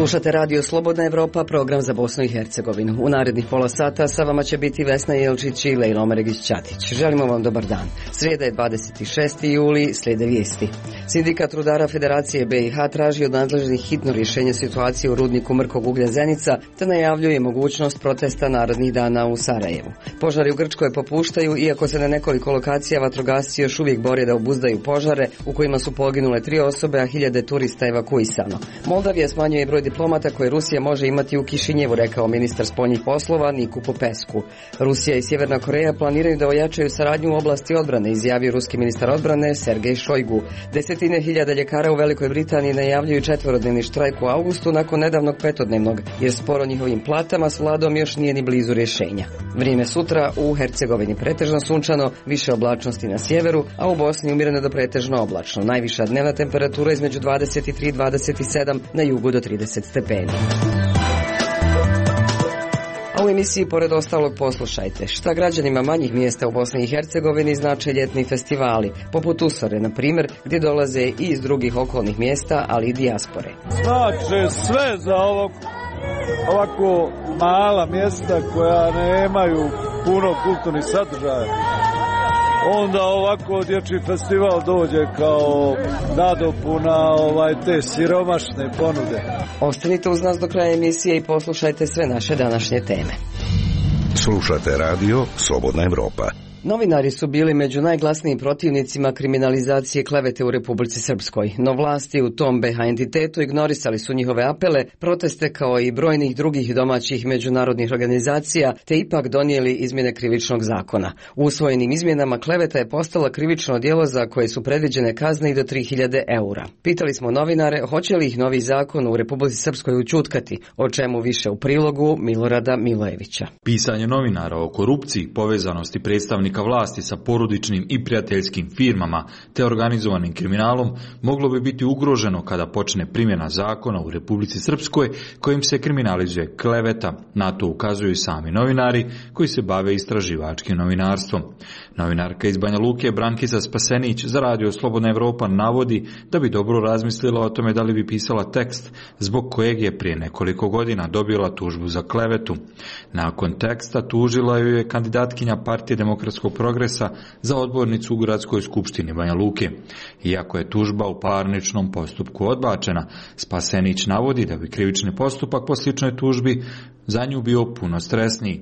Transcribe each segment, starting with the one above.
Slušate radio Slobodna Evropa, program za Bosnu i Hercegovinu. U narednih pola sata sa vama će biti Vesna Jelčić i Lejla Omeregić-Ćatić. Želimo vam dobar dan. Srijeda je 26. juli, slijede vijesti. Sindikat rudara Federacije BiH traži od nadležnih hitno rješenje situacije u rudniku mrkog uglja Zenica, te najavljuje mogućnost protesta narednih dana u Sarajevu. Požari u Grčkoj popuštaju, iako se na nekoliko lokacija vatrogasci još uvijek bore da obuzdaju požare, u kojima su poginule 3 osobe, a hiljade turista evakuisano. Moldavija smanjuje broj diplomata koje Rusija može imati u Kišinjevu, rekao ministar spoljnih poslova Niku Popesku. Rusija i Sjeverna Koreja planiraju da ojačaju saradnju u oblasti odbrane, izjavio ruski ministar odbrane Sergej Šojgu. Desetine hiljada ljekara u Velikoj Britaniji najavljuju 4-dnevni štrajk u avgustu nakon nedavnog 5-dnevnog, jer spor o njihovim platama s vladom još nije ni blizu rješenja. Vrijeme sutra u Hercegovini pretežno sunčano, više oblačnosti na sjeveru, a u Bosni umjereno do pretežno oblačno. Najviša dnevna temperatura između 23 i 27, na jugu do 30 stepeni. A u emisiji pored ostalog poslušajte šta građanima manjih mjesta u Bosni i Hercegovini znače ljetni festivali, poput Usore, na primjer, gdje dolaze i iz drugih okolnih mjesta, ali i dijaspore. Znači sve za ovako mala mjesta koja nemaju puno kulturnih sadržaja. Onda ovako dječji festival dođe kao nadopuna te siromašne ponude. Ostanite uz nas do kraja emisije i poslušajte sve naše današnje teme. Slušate radio Slobodna Evropa. Novinari su bili među najglasnijim protivnicima kriminalizacije klevete u Republici Srpskoj, no vlasti u tom BiH entitetu ignorisali su njihove apele, proteste kao i brojnih drugih domaćih međunarodnih organizacija, te ipak donijeli izmjene krivičnog zakona. U usvojenim izmjenama kleveta je postala krivično djelo za koje su predviđene kazne i do 3000 eura. Pitali smo novinare hoće li ih novi zakon u Republici Srpskoj učutkati, o čemu više u prilogu Milorada Milojevića. Pisanje novinara o korupciji, povezanosti predstavnika vlasti sa porodičnim i prijateljskim firmama te organizovanim kriminalom moglo bi biti ugroženo kada počne primjena zakona u Republici Srpskoj kojim se kriminalizuje kleveta. Na to ukazuju sami novinari koji se bave istraživačkim novinarstvom. Novinarka iz Banja Luke Brankica Spasenić za radio Slobodna Evropa navodi da bi dobro razmislila o tome da li bi pisala tekst zbog kojeg je prije nekoliko godina dobila tužbu za klevetu. Nakon teksta tužila ju je kandidatkinja Partije demokratskog progresa za odbornicu u Gradskoj skupštini Banja Luke. Iako je tužba u parničnom postupku odbačena, Spasenić navodi da bi krivični postupak po sličnoj tužbi za nju bio puno stresniji.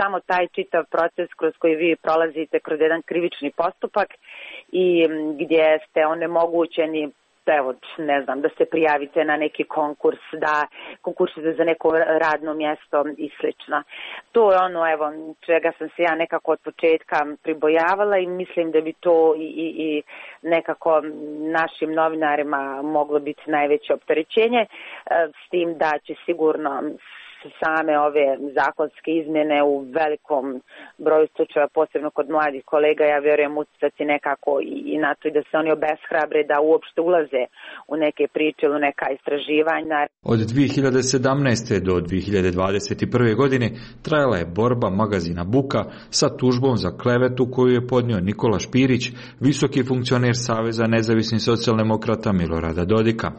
Samo taj čitav proces kroz koji vi prolazite kroz jedan krivični postupak i gdje ste onemogućeni da se prijavite na neki konkurs, da konkursite za neko radno mjesto i slično. To je čega sam se ja nekako od početka pribojavala i mislim da bi to i nekako našim novinarima moglo biti najveće opterećenje, s tim da će sigurno same ove zakonske izmjene u velikom broju slučajeva, posebno kod mladih kolega, ja vjerujem utjecati nekako i na to i da se oni obeshrabre da uopšte ulaze u neke priče ili neka istraživanja. Od 2017. do 2021. godine trajala je borba magazina Buka sa tužbom za klevetu koju je podnio Nikola Špirić, visoki funkcioner Saveza nezavisnih socijaldemokrata Milorada Dodika.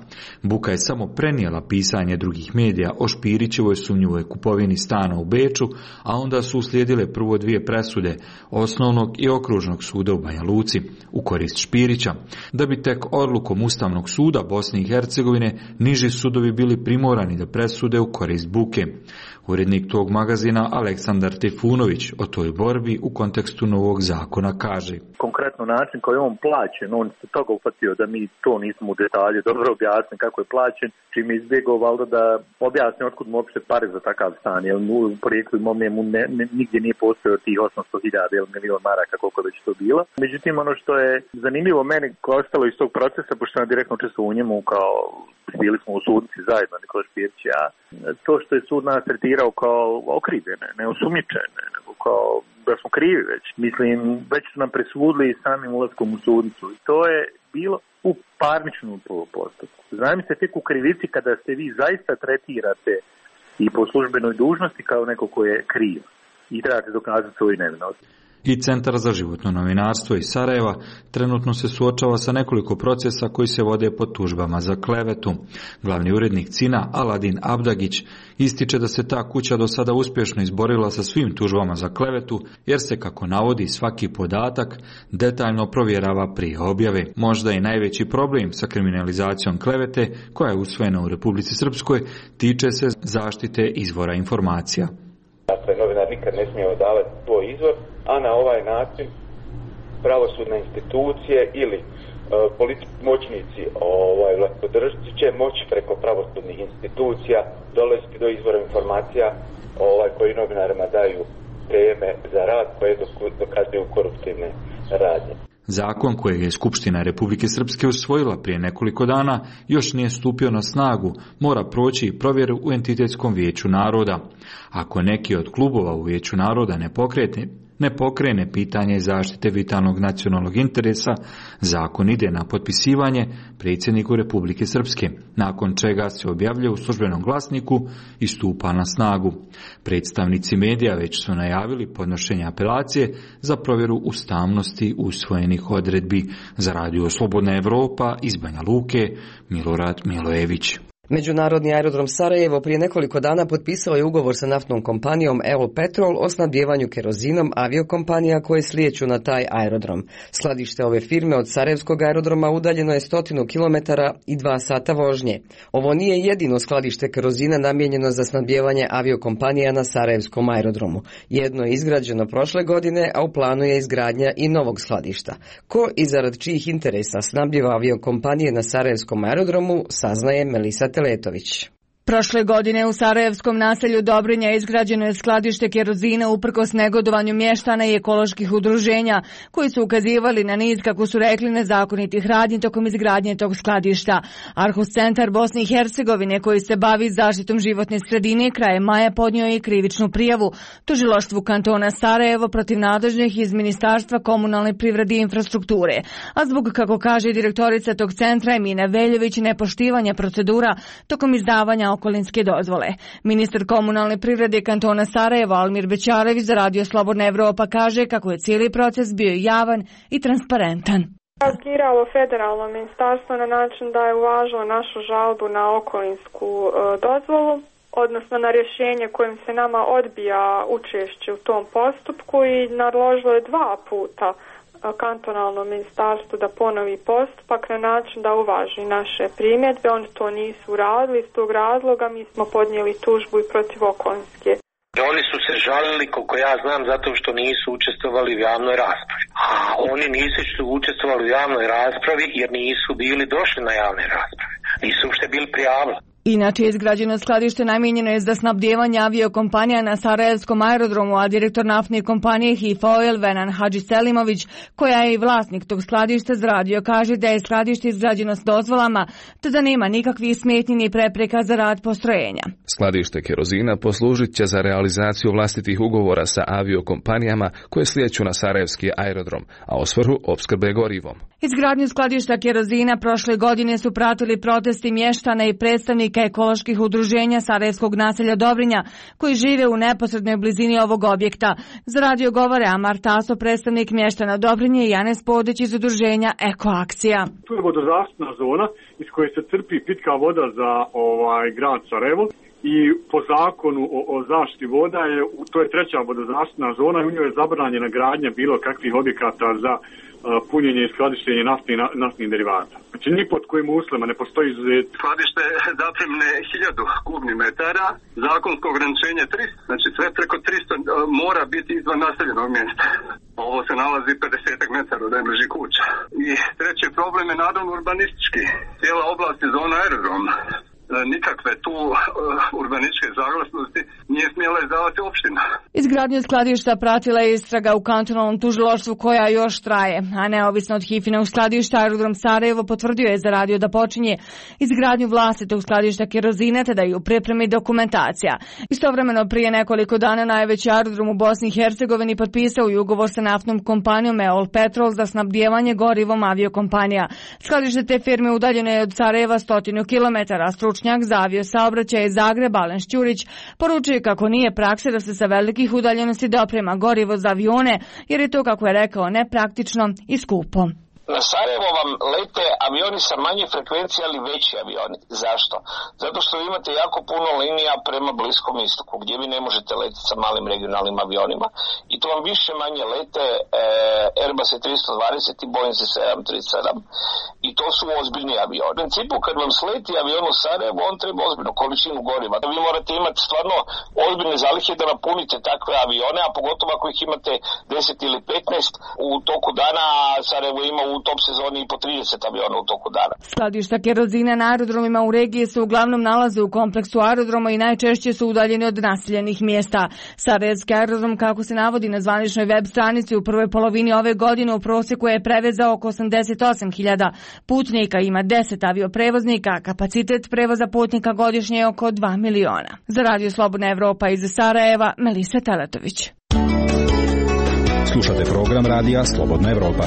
Buka je samo prenijela pisanje drugih medija o Špirićevoj sumnjivoj kupovini stana u Beču, a onda su uslijedile prvo 2 presude osnovnog i okružnog suda u Banja Luci u korist Špirića, da bi tek odlukom Ustavnog suda Bosne i Hercegovine niži sudovi bili primorani da presude u korist Buke. Urednik tog magazina Aleksandar Trifunović o toj borbi u kontekstu novog zakona kaže: Konkretno način koji je on plaćen, on se toga ufatio da mi to nismo u detalje dobro objasnili kako je plaćen, čim je izbjegao valjda da objasni otkud mu uopšte pare za takav stan, jer u porijeklu imovine mu nigdje nije postojao tih 800.000 ili milion maraka koliko već to bilo. Međutim, ono što je zanimljivo meni koje ostalo iz tog procesa, pošto sam direktno učestvovao u njemu, kao bili smo u sudnici zajedno, Nikola Špirić i ja, to što je sud nas tretirao kao okrivljene, ne osumnjičene, nego kao da smo krivi već. Mislim, već su nam presudili samim ulaskom u sudnicu i to je bilo u parničnom postupku. Znam se tek u krivici kada se vi zaista tretirate i po službenoj dužnosti kao neko ko je kriv i trebate dokazati svoju nevinost. I Centar za životno novinarstvo iz Sarajeva trenutno se suočava sa nekoliko procesa koji se vode pod tužbama za klevetu. Glavni urednik CINA Aladin Abdagić ističe da se ta kuća do sada uspješno izborila sa svim tužbama za klevetu, jer se, kako navodi, svaki podatak detaljno provjerava prije objave. Možda i najveći problem sa kriminalizacijom klevete, koja je usvojena u Republici Srpskoj, tiče se zaštite izvora informacija. Dakle, novinar nikad ne smije odavati svoj izvor, a na ovaj način pravosudne institucije ili politički moćnici vlastodržci će moći preko pravosudnih institucija dolaziti do izvora informacija koji novinarima daju teme za rad koje dokazuju koruptivne radnje. Zakon kojeg je Skupština Republike Srpske usvojila prije nekoliko dana još nije stupio na snagu, mora proći i provjeru u Entitetskom vijeću naroda. Ako neki od klubova u vijeću naroda ne pokrene pitanje zaštite vitalnog nacionalnog interesa, zakon ide na potpisivanje predsjedniku Republike Srpske, nakon čega se objavljuje u službenom glasniku i stupa na snagu. Predstavnici medija već su najavili podnošenje apelacije za provjeru ustavnosti usvojenih odredbi. Za Radio Slobodna Evropa iz Banja Luke, Milorad Milojević. Međunarodni aerodrom Sarajevo prije nekoliko dana potpisao je ugovor sa naftnom kompanijom EOL Petrol o snabdijevanju kerozinom aviokompanija koje slijeću na taj aerodrom. Skladište ove firme od Sarajevskog aerodroma udaljeno je 100 km i 2 sata vožnje. Ovo nije jedino skladište kerozina namijenjeno za snabdijevanje aviokompanija na Sarajevskom aerodromu. Jedno je izgrađeno prošle godine, a u planu je izgradnja i novog skladišta. Ko i zarad čijih interesa snabdijeva aviokompanije na Sarajevskom aerodromu, saznaje Melisa Teletović. Prošle godine u Sarajevskom naselju Dobrinja izgrađeno je skladište kerozina uprkos negodovanju mještana i ekoloških udruženja, koji su ukazivali na niz, kako su rekli, nezakonitih radnji tokom izgradnje tog skladišta. Arhus centar Bosne i Hercegovine, koji se bavi zaštitom životne sredine, krajem maja podnio je krivičnu prijavu tužilaštvu kantona Sarajevo protiv nadležnih iz Ministarstva komunalne privrede i infrastrukture, a zbog, kako kaže direktorica tog centra Emina Veljović, nepoštivanja procedura tokom izdavanja okolinske dozvole. Ministar komunalne privrede kantona Sarajevo Almir Bećarević za Radio Slobodna Evropa kaže kako je cijeli proces bio javan i transparentan. Reagiralo federalno ministarstvo na način da je uvažilo našu žalbu na okolinsku dozvolu, odnosno na rješenje kojim se nama odbija učešće u tom postupku, i naložilo je 2 puta kantonalnom ministarstvu da ponovi postupak na način da uvaži naše primjedbe. Oni to nisu uradili, iz tog razloga mi smo podnijeli tužbu i protiv okolinske. Oni su se žalili, koliko ja znam, zato što nisu učestvovali u javnoj raspravi. A oni nisu učestvovali u javnoj raspravi jer nisu bili došli na javne rasprave. Nisu uopšte bili prijavili. Inače, izgrađeno skladište namijenjeno je za snabdijevanje aviokompanija na Sarajevskom aerodromu, a direktor naftne kompanije HIF-OIL Venan Hadžiselimović, koja je i vlasnik tog skladišta, zradio, kaže da je skladište izgrađeno s dozvolama, te da nema nikakvih smetnji ni prepreka za rad postrojenja. Skladište kerozina poslužit će za realizaciju vlastitih ugovora sa aviokompanijama koje slijeću na Sarajevski aerodrom, a u svrhu opskrbe gorivom. Izgradnju skladišta kerozina prošle godine su pratili protesti mještana i predstavnika ekoloških udruženja Sarajevskog naselja Dobrinja, koji žive u neposrednoj blizini ovog objekta. Za radio govore Amar Taso, predstavnik mještana Dobrinje, i Janez Podić iz udruženja Ekoakcija. Tu je vodozaštitna zona iz koje se crpi pitka voda za grad Sarajevo. I po zakonu o zaštiti voda to je 3. vodozaštitna zona i u njoj je zabranjena gradnja bilo kakvih objekata za punjenje i skladištenje naftnih derivata. Znači ni pod kojim uslovima ne postoji izuzet. Skladište zapremne 1000 kubnih metara, zakonsko ograničenje 300, znači sve preko 300 mora biti izvan naseljenog mjesta. Ovo se nalazi 50 metara od najbližih kuća. I treći problem je naravno urbanistički. Cijela oblast je zona aerodroma. Nikakve tu urbanističke saglasnosti nije smjela izdavati opština. Izgradnju skladišta pratila je istraga u kantonalnom tužilaštvu koja još traje, a neovisno od HIF-inog skladišta, aerodrom Sarajevo potvrdio je za radio da počinje izgradnju vlastitog skladišta kerozina, te da je u pripremi dokumentacija. Istovremeno, prije nekoliko dana najveći aerodrom u Bosni i Hercegovini potpisao i ugovor sa naftnom kompanijom EOL Petrol za snabdijevanje gorivom aviokompanija. Skladište te firme udaljeno je od Sarajeva 100 km, a stručnjak za aviosaobraćaj iz Zagreba Alen Šćurić poručuje kako nije praksa da se sa velikih udaljenosti doprema gorivo za avione, jer je to, kako je rekao, nepraktično i skupo. Na Sarajevo vam lete avioni sa manje frekvencije, ali veći avioni. Zašto? Zato što imate jako puno linija prema Bliskom istoku, gdje vi ne možete letiti sa malim regionalnim avionima. I to vam više manje lete Airbus 320 i Boeing 737. I to su ozbiljni avioni. U principu, kad vam sleti avion u Sarajevo, on treba ozbiljnu količinu goriva. Vi morate imati stvarno ozbiljne zalihe da napunite takve avione, a pogotovo ako ih imate 10 ili 15 u toku dana, Sarajevo ima u top sezoni i po 30 aviona u toku dana. Skladišta kerozina na aerodromima u regiji se uglavnom nalaze u kompleksu aerodroma i najčešće su udaljeni od naseljenih mjesta. Sarajevski aerodrom, kako se navodi na zvaničnoj web stranici, u prvoj polovini ove godine u prosjeku je prevezao oko 88.000 putnika, ima 10 avioprevoznika, kapacitet prevoza putnika godišnje je oko 2 miliona. Za Radio Slobodna Evropa iz Sarajeva, Melisa Teletović. Slušate program Radija Slobodna Evropa.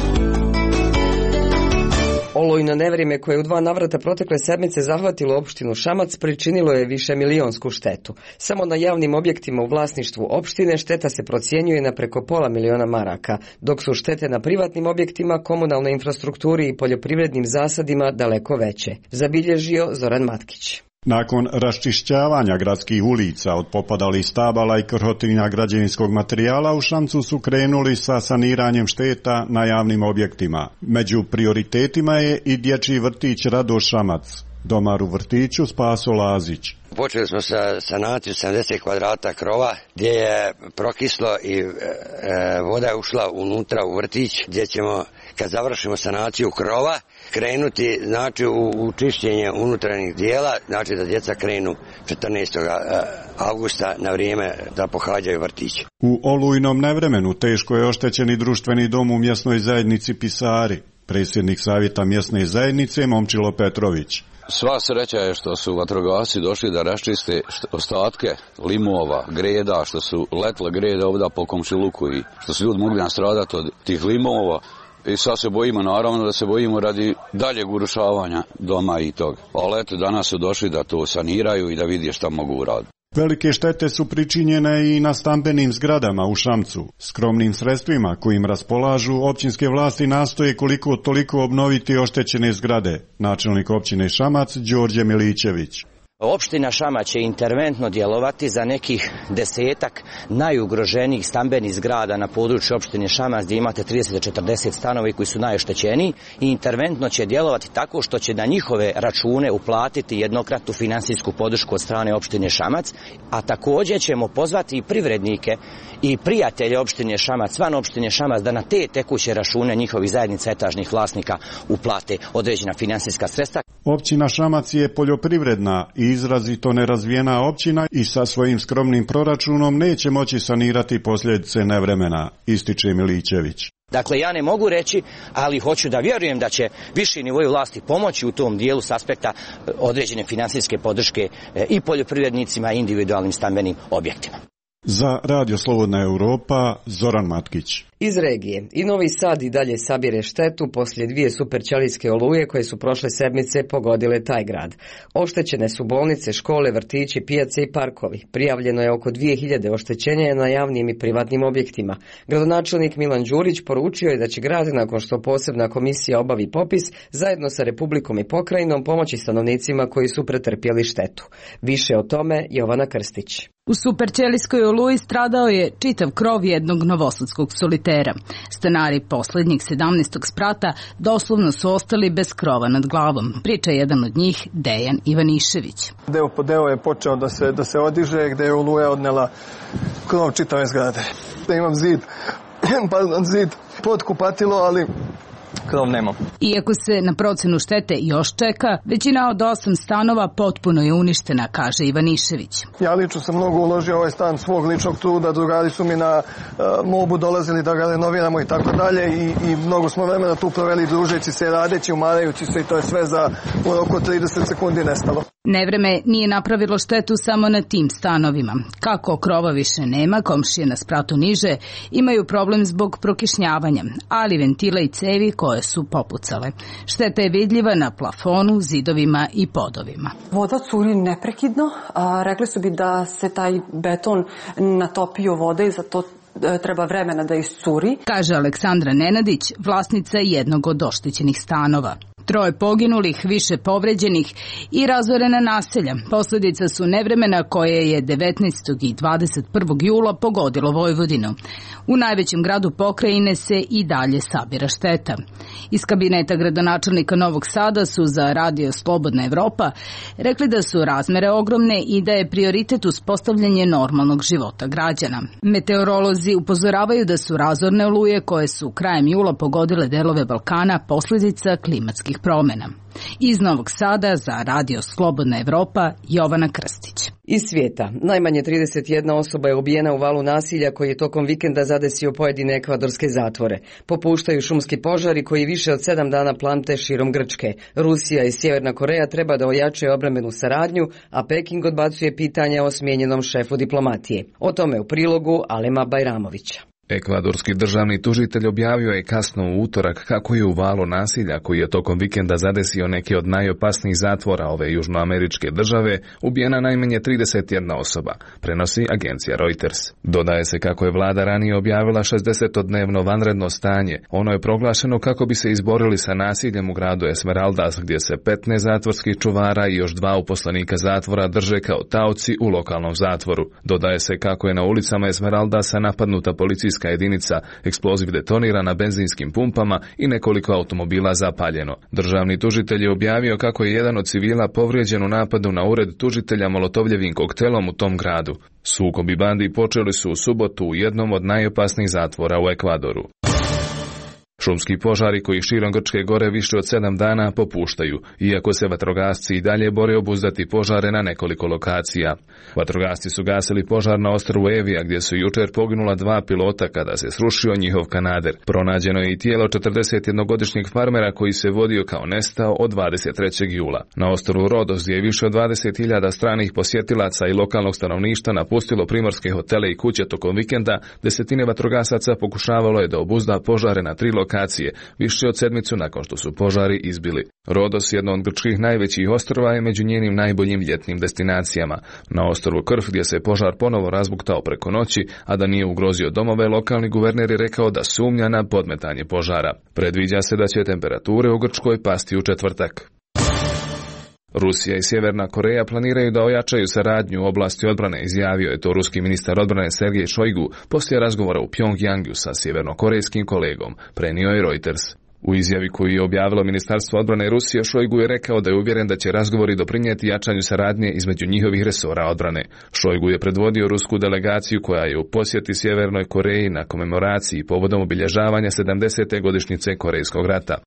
Olujno nevrijeme koje je u 2 navrata protekle sedmice zahvatilo opštinu Šamac pričinilo je višemilijonsku štetu. Samo na javnim objektima u vlasništvu opštine šteta se procjenjuje na preko $500.000 maraka, dok su štete na privatnim objektima, komunalnoj infrastrukturi i poljoprivrednim zasadima daleko veće. Zabilježio Zoran Matkić. Nakon raščišćavanja gradskih ulica od popadalih stabala i krhotinja građevinskog materijala, u Šamcu su krenuli sa saniranjem šteta na javnim objektima. Među prioritetima je i dječji vrtić Radoš Šamac. Domar u vrtiću Spaso Lazić. Počeli smo sa sanaciju 70 kvadrata krova gdje je prokislo i voda je ušla unutra u vrtić, gdje ćemo, kad završimo sanaciju krova, krenuti znači u čišćenje unutarnjih dijela, znači da djeca krenu 14. augusta na vrijeme da pohađaju vrtić. U olujnom nevremenu teško je oštećeni društveni dom u mjesnoj zajednici Pisari. Predsjednik savjeta mjesne zajednice Momčilo Petrović. Sva sreća je što su vatrogasci došli da raščiste ostatke limova, greda, što su letle grede ovdje po komšiluku i što su ljudi mogli nastradati od tih limova. I sad se bojimo, naravno da se bojimo radi daljeg urušavanja doma i toga. Ali eto, danas su došli da to saniraju i da vidi šta mogu uraditi. Velike štete su pričinjene i na stambenim zgradama u Šamcu. Skromnim sredstvima kojim raspolažu općinske vlasti nastoje koliko toliko obnoviti oštećene zgrade. Načelnik općine Šamac Đorđe Milićević. Opština Šamac će interventno djelovati za nekih 10 najugroženijih stambenih zgrada na području opštine Šamac gdje imate 30-40 stanovi koji su najoštećeniji i interventno će djelovati tako što će na njihove račune uplatiti jednokratnu finansijsku podršku od strane opštine Šamac, a također ćemo pozvati i privrednike i prijatelje opštine Šamac, van opštine Šamac da na te tekuće račune njihovih zajednica etažnih vlasnika uplate određena finansijska sredstva. Općina Šamac je poljoprivredna i izrazito nerazvijena općina i sa svojim skromnim proračunom neće moći sanirati posljedice nevremena, ističe Milićević. Dakle, ja ne mogu reći, ali hoću da vjerujem da će viši nivoi vlasti pomoći u tom dijelu s aspekta određene finansijske podrške i poljoprivrednicima i individualnim stambenim objektima. Za Radio Slobodna Europa, Zoran Matkić. Iz regije. I Novi Sad i dalje sabire štetu poslije 2 superćelijske oluje koje su prošle sedmice pogodile taj grad. Oštećene su bolnice, škole, vrtići, pijace i parkovi. Prijavljeno je oko 2000 oštećenja na javnim i privatnim objektima. Gradonačelnik Milan Đurić poručio je da će grad, nakon što posebna komisija obavi popis, zajedno sa Republikom i pokrajinom pomoći stanovnicima koji su pretrpjeli štetu. Više o tome Jovana Krstić. U superćelijskoj oluji stradao je čitav krov jednog novosadskog solitera. Stanari posljednjeg 17. sprata doslovno su ostali bez krova nad glavom. Priča jedan od njih, Dejan Ivanišević. Deo po deo je počeo da se odiže, gdje je oluja odnela krov čitave zgrade. Da imam zid pod kupatilo, ali krov nema. Iako se na procenu štete još čeka, većina od 8 stanova potpuno je uništena, kaže Ivanišević. Ja lično sam mnogo uložio ovaj stan svog ličnog truda, drugari su mi na mobu dolazili da ga renoviramo i tako dalje i mnogo smo vremena tu proveli družeći se, radeći, umarajući se i to je sve za u roku 30 sekundi nestalo. Nevreme nije napravilo štetu samo na tim stanovima. Kako krova više nema, komšije na spratu niže imaju problem zbog prokišnjavanja, ali ventila i cevi koje su popucale. pucale. Šteta je vidljiva na plafonu, zidovima i podovima. Voda curi neprekidno. Rekli su bi da se taj beton natopio vode i zato treba vremena da iscuri. Kaže Aleksandra Nenadić, vlasnica jednog od oštećenih stanova. 3 poginulih, više povređenih i razorena naselja. Posljedica su nevremena koje je 19. i 21. jula pogodilo Vojvodinu. U najvećem gradu pokrajine se i dalje sabira šteta. Iz kabineta gradonačelnika Novog Sada su za Radio Slobodna Evropa rekli da su razmere ogromne i da je prioritet uspostavljanje normalnog života građana. Meteorolozi upozoravaju da su razorne oluje koje su krajem jula pogodile delove Balkana posljedica klimatskih promjena. Iz Novog Sada za Radio Slobodna Evropa, Jovana Krstić. Iz svijeta, najmanje 31 osoba je ubijena u valu nasilja koji je tokom vikenda zadesio pojedine ekvadorske zatvore. Popuštaju šumski požari koji više od 7 dana plamte širom Grčke. Rusija i Sjeverna Koreja treba da ojačaju obrambenu saradnju, a Peking odbacuje pitanja o smijenjenom šefu diplomatije. O tome u prilogu Alema Bajramovića. Ekvadorski državni tužitelj objavio je kasno u utorak kako je u valu nasilja koji je tokom vikenda zadesio neke od najopasnijih zatvora ove južnoameričke države ubijena najmanje 31 osoba, prenosi agencija Reuters. Dodaje se kako je vlada ranije objavila 60-dnevno vanredno stanje. Ono je proglašeno kako bi se izborili sa nasiljem u gradu Esmeraldas, gdje se 15 zatvorskih čuvara i još 2 uposlenika zatvora drže kao taoci u lokalnom zatvoru. Dodaje se kako je na ulicama Esmeraldasa napadnuta policijska jedinica, eksploziv detonira na benzinskim pumpama i nekoliko automobila zapaljeno. Državni tužitelj je objavio kako je jedan od civila povrijeđen u napadu na ured tužitelja molotovljevim koktelom u tom gradu. Sukobi bandi počeli su u subotu u jednom od najopasnijih zatvora u Ekvadoru. Šumski požari koji širom Grčke gore više od 7 dana popuštaju, iako se vatrogasci i dalje bore obuzdati požare na nekoliko lokacija. Vatrogasci su gasili požar na ostrvu Evija gdje su jučer poginula 2 pilota kada se srušio njihov kanader. Pronađeno je i tijelo 41-godišnjeg farmera koji se vodio kao nestao od 23. jula. Na ostrvu Rodos gdje je više od 20.000 stranih posjetilaca i lokalnog stanovništva napustilo primorske hotele i kuće tokom vikenda, desetine vatrogasaca pokušavalo je da obuzda požare na 3 lokacije, više od sedmicu nakon što su požari izbili. Rodos, jedno od grčkih najvećih ostrva, je među njenim najboljim ljetnim destinacijama. Na ostrvu Krf, gdje se požar ponovo razbuktao preko noći, a da nije ugrozio domove, lokalni guverner je rekao da sumnja na podmetanje požara. Predviđa se da će temperature u Grčkoj pasti u četvrtak. Rusija i Sjeverna Koreja planiraju da ojačaju saradnju u oblasti odbrane, izjavio je to ruski ministar odbrane Sergej Šojgu poslije razgovora u Pjongjangu sa sjevernokorejskim kolegom, prenio je Reuters. U izjavi koju je objavilo Ministarstvo odbrane Rusije, Šojgu je rekao da je uvjeren da će razgovori doprinijeti jačanju saradnje između njihovih resora odbrane. Šojgu je predvodio rusku delegaciju koja je u posjeti Sjevernoj Koreji na komemoraciji povodom obilježavanja 70. godišnjice Korejskog rata.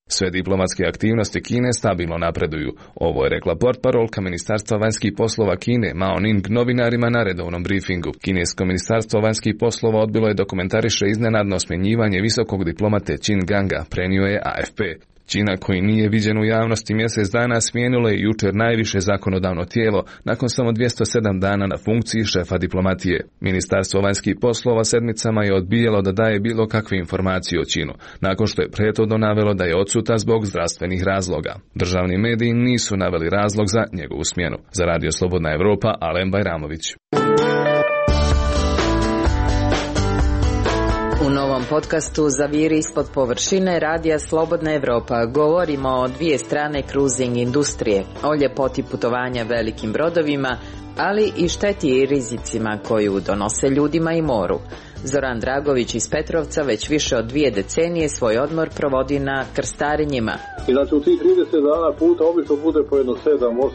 Sve diplomatske aktivnosti Kine stabilno napreduju. Ovo je rekla portparolka Ministarstva vanjskih poslova Kine Mao Ning novinarima na redovnom briefingu. Kinesko ministarstvo vanjskih poslova odbilo je da komentariše iznenadno smjenjivanje visokog diplomate Qin Ganga, prenio je AFP. Kina, koji nije viđen u javnosti mjesec dana, smijenilo je jučer najviše zakonodavno tijelo nakon samo 207 dana na funkciji šefa diplomatije. Ministarstvo vanjskih poslova sedmicama je odbijalo da daje bilo kakve informacije o Kinu, nakon što je prethodno navelo da je odsutan zbog zdravstvenih razloga. Državni mediji nisu naveli razlog za njegovu smjenu. Za Radio Slobodna Evropa, Alen Bajramović. U novom podcastu Zaviri ispod površine Radija Slobodna Evropa govorimo o 2 strane cruising industrije, o ljepoti putovanja velikim brodovima, ali i šteti i rizicima koju donose ljudima i moru. Zoran Dragović iz Petrovca već više od 2 decenije svoj odmor provodi na krstarenjima. I znači u tih 30 dana puta obično bude po jedno 7,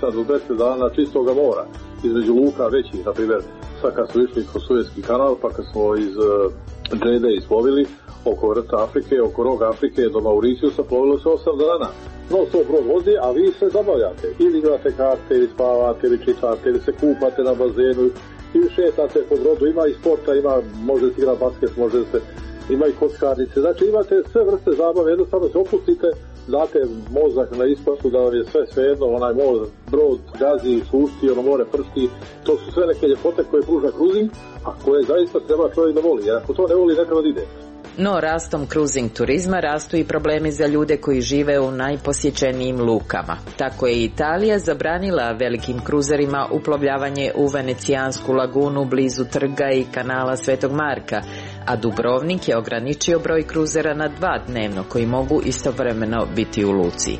8 do 10 dana čistoga mora. Između luka većih, na primjer, sad kad smo išli kroz Suezki kanal, pa kad smo iz Džede isplovili oko vrta Afrike, oko roga Afrike do Mauriciusa, plovilo se 8 dana. No, to brod vozi, a vi se zabavljate. Ili igrate karte, ili spavate, ili čitate, ili se kupate na bazenu, ili šetate po brodu. Ima i sporta, može se igrati basket, ima i kockarnice. Znači imate sve vrste zabave, jednostavno se opustite, date mozak na ispašu da vam je sve jedno, onaj brod gazi, sušti, more prsti. To su sve neke ljepote koje pruža cruising, a koje zaista treba čovjek da voli. Jer ako to ne voli, ne treba da ide. No rastom cruising turizma rastu i problemi za ljude koji žive u najposjećenijim lukama. Tako je Italija zabranila velikim kruzerima uplovljavanje u Venecijansku lagunu blizu trga i kanala Svetog Marka, a Dubrovnik je ograničio broj kruzera na 2 dnevno koji mogu istovremeno biti u luci.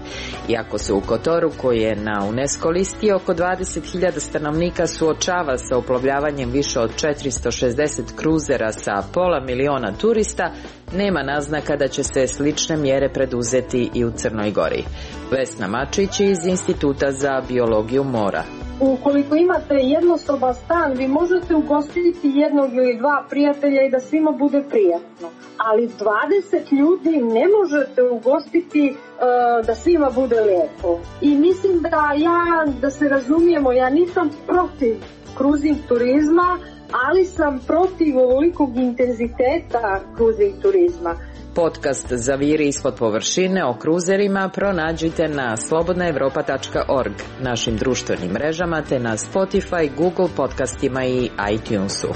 Iako se u Kotoru, koji je na UNESCO listi, oko 20.000 stanovnika suočava sa uplovljavanjem više od 460 kruzera sa 500.000 turista, nema naznaka da će se slične mjere preduzeti i u Crnoj Gori. Vesna Mačić iz Instituta za biologiju mora. Ukoliko imate jednosoban stan, vi možete ugostiti jednog ili 2 prijatelja i da svima bude prijatno. Ali 20 ljudi ne možete ugostiti da svima bude lijepo. I mislim da se razumijemo, ja nisam protiv cruising turizma, ali sam protiv ovolikog intenziteta cruising turizma. Podcast Zaviri ispod površine o kruzerima pronađite na slobodnaevropa.org, našim društvenim mrežama te na Spotify, Google podcastima i iTunesu.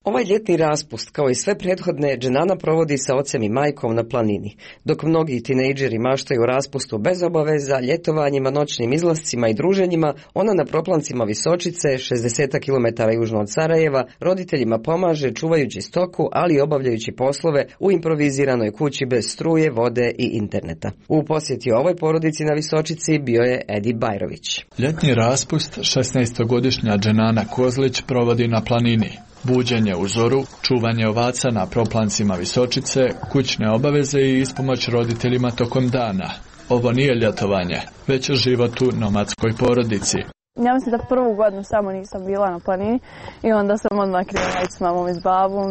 Ovaj ljetni raspust, kao i sve prethodne, Dženana provodi sa ocem i majkom na planini. Dok mnogi tinejdžeri maštaju o raspustu bez obaveza, ljetovanjima, noćnim izlascima i druženjima, ona na proplancima Visočice, 60 km južno od Sarajeva, roditeljima pomaže čuvajući stoku, ali i obavljajući poslove u improviziranoj kući bez struje, vode i interneta. U posjeti ovoj porodici na Visočici bio je Edi Bajrović. Ljetni raspust 16-godišnja Dženana Kozlić provodi na planini. Buđenje u zoru, čuvanje ovaca na proplancima Visočice, kućne obaveze i ispomoć roditeljima tokom dana. Ovo nije ljetovanje, već život u nomadskoj porodici. Ja mislim da prvu godinu samo nisam bila na planini i onda sam odmah krenula ići s mamom i s babom.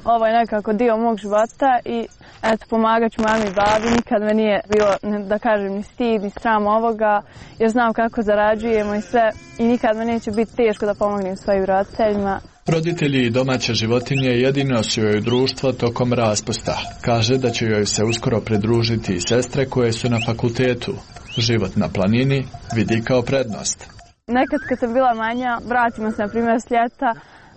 Ovo je nekako dio mog života i pomagat ću mami i babi. Nikad me nije bilo, da kažem, ni stid, ni sram ovoga, jer znam kako zarađujemo i sve. I nikad me neće biti teško da pomognem svojim roditeljima. Roditelji i domaće životinje jedino su joj društvo tokom raspusta. Kaže da će joj se uskoro pridružiti i sestre koje su na fakultetu. Život na planini vidi kao prednost. Nekad kad sam bila manja, vratimo se na primjer s ljeta,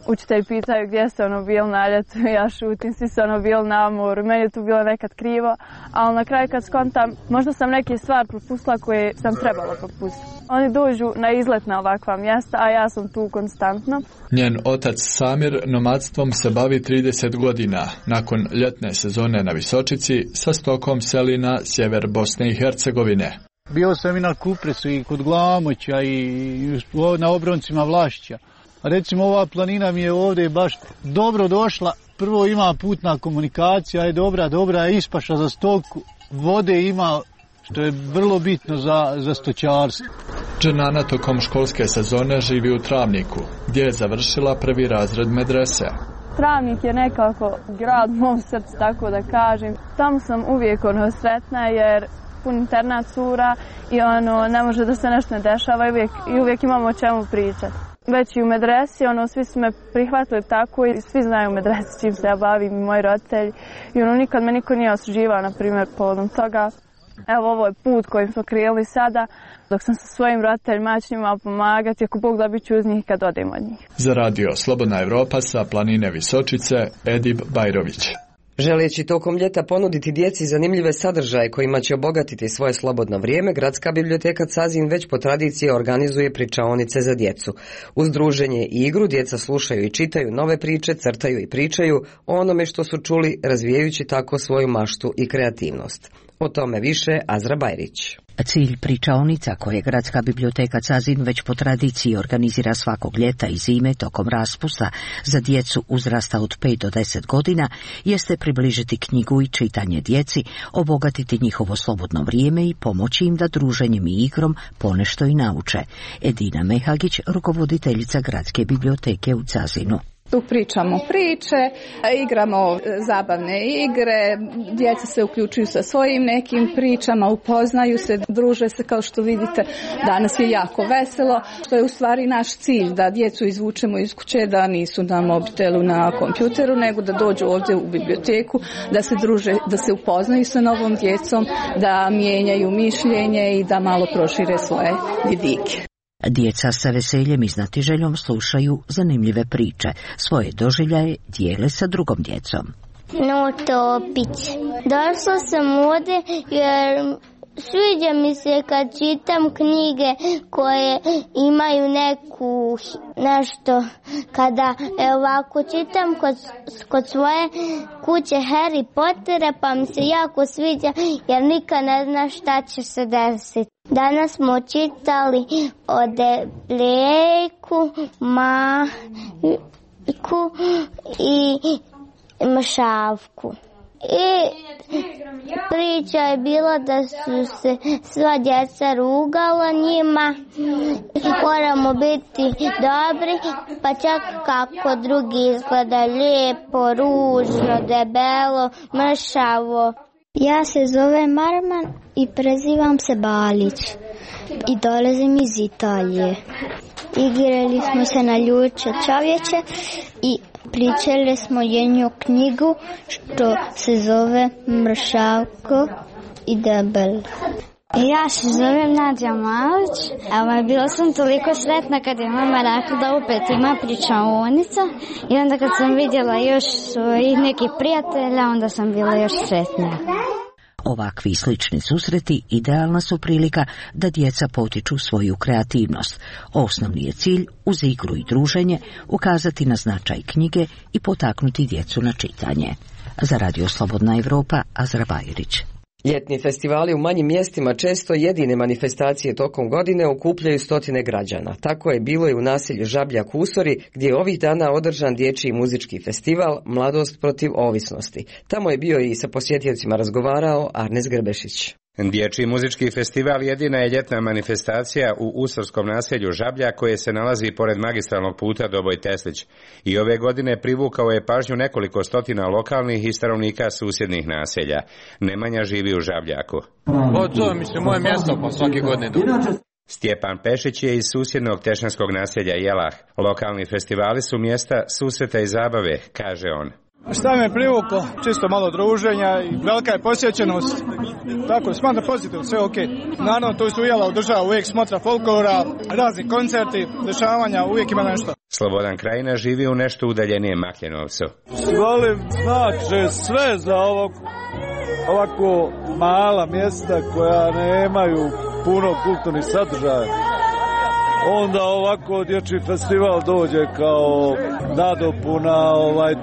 učitelji pitaju gdje ste bili na ljetu, ja šutim, svi su bili na moru, meni je tu bilo nekad krivo, ali na kraju kad skontam, možda sam neke stvari propustila koje sam trebala propustiti. Oni dođu na izlet na ovakva mjesta, a ja sam tu konstantno. Njen otac Samir nomadstvom se bavi 30 godina. Nakon ljetne sezone na Visočici sa stokom seli na sjever Bosne i Hercegovine. Bio sam i na Kupresu i kod Glamoća i na obroncima Vlašća. Recimo ova planina mi je ovdje baš dobro došla. Prvo ima putna komunikacija, je dobra ispaša za stoku, vode ima, što je vrlo bitno za stočarstvo. Dženana tokom školske sezone živi u Travniku, gdje je završila prvi razred medrese. Travnik je nekako grad u mom srcu, tako da kažem. Tamo sam uvijek sretna jer pun internat cura i ne može da se nešto ne dešava i uvijek imamo o čemu pričati. Već i u medresi, svi su me prihvatili tako i svi znaju u medresi čim se ja bavim i moji roditelji. I nikad me niko nije osuđivao, na primjer, povodom toga. Evo, ovo je put kojim smo krenuli sada, dok sam sa svojim roditeljima ću njima pomagati, ako Bog da bit ću uz njih kad odem od njih. Za radio Slobodna Evropa sa planine Visočice, Edib Bajrović. Želeći tokom ljeta ponuditi djeci zanimljive sadržaje kojima će obogatiti svoje slobodno vrijeme, Gradska biblioteka Cazin već po tradiciji organizuje pričaonice za djecu. Uz druženje i igru djeca slušaju i čitaju nove priče, crtaju i pričaju o onome što su čuli, razvijajući tako svoju maštu i kreativnost. O tome više Azra Bajrić. Cilj pričaonica koje Gradska biblioteka Cazin već po tradiciji organizira svakog ljeta i zime tokom raspusta za djecu uzrasta od 5 do 10 godina jeste približiti knjigu i čitanje djeci, obogatiti njihovo slobodno vrijeme i pomoći im da druženjem i igrom ponešto i nauče. Edina Mehagić, rukovoditeljica Gradske biblioteke u Cazinu. Tu pričamo priče, igramo zabavne igre, djeca se uključuju sa svojim nekim pričama, upoznaju se, druže se, kao što vidite. Danas je jako veselo, što je u stvari naš cilj, da djecu izvučemo iz kuće, da nisu na mobitelu, na kompjuteru, nego da dođu ovdje u biblioteku, da se druže, da se upoznaju sa novom djecom, da mijenjaju mišljenje i da malo prošire svoje vidike. Djeca sa veseljem i znatiželjom slušaju zanimljive priče. Svoje doživljaje dijele sa drugom djecom. No Topić. Došla sam ovdje jer sviđa mi se kad čitam knjige koje imaju nešto, kada ovako čitam kod svoje kuće Harry Pottera, pa mi se jako sviđa jer nikad ne zna šta će se desiti. Danas smo čitali o Debljejku, Majku i Mršavku. I priča je bila da su se sva djeca rugala njima. Moramo biti dobri, pa čak kako drugi izgleda lijepo, ružno, debelo, mršavo. Ja se zovem Marman i prezivam se Balić i dolazim iz Italije. Igrali smo se na ljuče čovječe i pričali smo jednu knjigu što se zove Mršavko i Debel. Ja se zovem Nadja Malić, a bila sam toliko sretna kad je mama rekla da opet ima pričaonica i onda kad sam vidjela još svojih nekih prijatelja, onda sam bila još sretnija. Ovakvi slični susreti idealna su prilika da djeca potiču svoju kreativnost. Osnovni je cilj, uz igru i druženje, ukazati na značaj knjige i potaknuti djecu na čitanje. Za Radio Slobodna Evropa, Azra Bajrić. Ljetni festivali u manjim mjestima često jedine manifestacije tokom godine okupljaju stotine građana. Tako je bilo i u naselju Žabljak u Usori, gdje je ovih dana održan dječji muzički festival Mladost protiv ovisnosti. Tamo je bio i sa posjetiteljima razgovarao Arnes Grbešić. Dječji muzički festival jedina je ljetna manifestacija u usorskom naselju Žablja koje se nalazi pored magistralnog puta Doboj-Teslić. I ove godine privukao je pažnju nekoliko stotina lokalnih i stanovnika susjednih naselja. Nemanja živi u Žabljaku. To je moje mjesto, pa svake godine. Stjepan Pešić je iz susjednog tešnjanskog naselja Jelah. Lokalni festivali su mjesta susreta i zabave, kaže on. Šta me privuklo? Čisto malo druženja i velika je posjećenost. Tako, smatram pozitivno, sve ok. Naravno, tu su Jela održava uvijek smotra folklora, razni koncerti, dešavanja, uvijek ima nešto. Slobodan Krajina živi u nešto udaljenijem Makljenovcu. Volim znači sve za ovako mala mjesta koja nemaju puno kulturnih sadržaja. Onda ovako dječji festival dođe kao nadopuna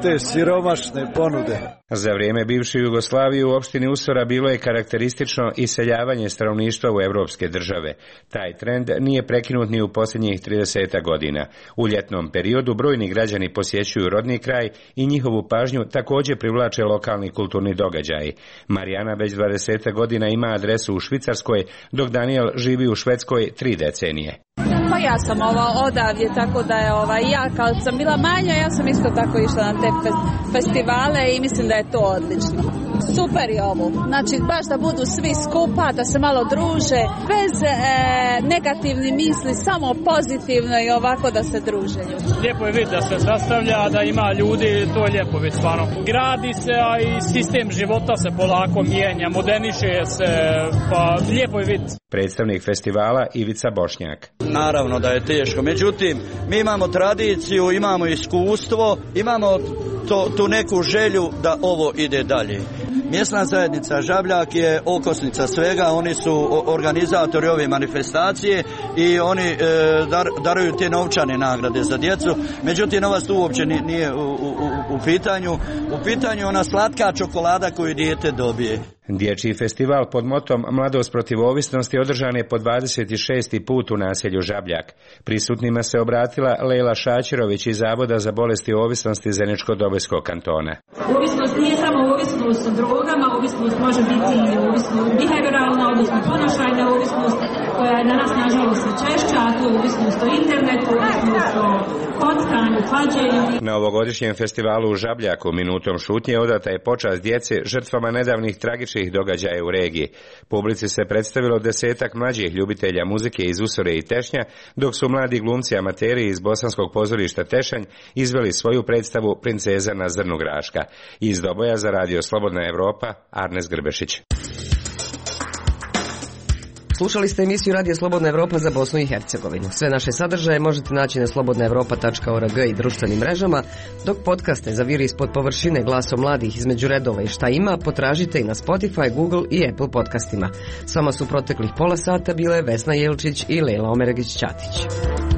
te siromašne ponude. Za vrijeme bivše Jugoslavije u opštini Usora bilo je karakteristično iseljavanje stanovništva u evropske države. Taj trend nije prekinut ni u posljednjih 30 godina. U ljetnom periodu brojni građani posjećuju rodni kraj i njihovu pažnju također privlače lokalni kulturni događaji. Marijana već 20 godina ima adresu u Švicarskoj, dok Daniel živi u Švedskoj 3 decenije. Pa ja sam odavdje, tako da je ja kad sam bila manja, ja sam isto tako išla na te festivale i mislim da je to odlično. Super je ovo. Znači baš da budu svi skupa, da se malo druže, bez negativnih misli, samo pozitivno i ovako da se druže. Lijepo je vidjeti da se sastavlja, da ima ljudi, to je lijepo vidjeti stvarno. Gradi se, a i sistem života se polako mijenja, moderniše se, pa lijepo je vidjeti. Predstavnik festivala Ivica Bošnjak. Naravno da je teško, međutim mi imamo tradiciju, imamo iskustvo, imamo tu neku želju da ovo ide dalje. Mjesna zajednica Žabljak je okosnica svega, oni su organizatori ove manifestacije i oni daruju te novčane nagrade za djecu, međutim novac tu uopće nije u pitanju. U pitanju je ona slatka čokolada koju dijete dobije. Dječji festival pod motom Mladost protiv ovisnosti održan je po 26. put u naselju Žabljak. Prisutnima se obratila Lejla Šačirović iz Zavoda za bolesti ovisnosti Zeničko-Dobojskog kantona. Ovisnost nije samo ovisnost o drogama, ovisnost može biti i ovisnost behavioralna, odnosno ponašajna ovisnost koja je danas nažalost sve češća, a to je ovisnost o internetu, ovisnost o kockanju, klađenju. Na ovogodišnjem festivalu u Žabljaku minutom šutnje odata je počast djece žrtvama nedavnih tragičnih događaja u regiji. Publici se predstavilo 10-ak mlađih ljubitelja muzike iz Usore i Tešnja, dok su mladi glumci amateri iz bosanskog pozorišta Tešanj izveli svoju predstavu Princeza na zrnu graška. Iz Doboja za Radio Slobodna Evropa, Arnes Grbešić. Slušali ste emisiju Radija Slobodna Evropa za Bosnu i Hercegovinu. Sve naše sadržaje možete naći na slobodnaevropa.org i društvenim mrežama, dok podcaste za Viri ispod površine, Glasom mladih, Između redova i Šta ima potražite i na Spotify, Google i Apple podcastima. S vama su proteklih pola sata bile Vesna Jelčić i Lejla Omeregić-Ćatić.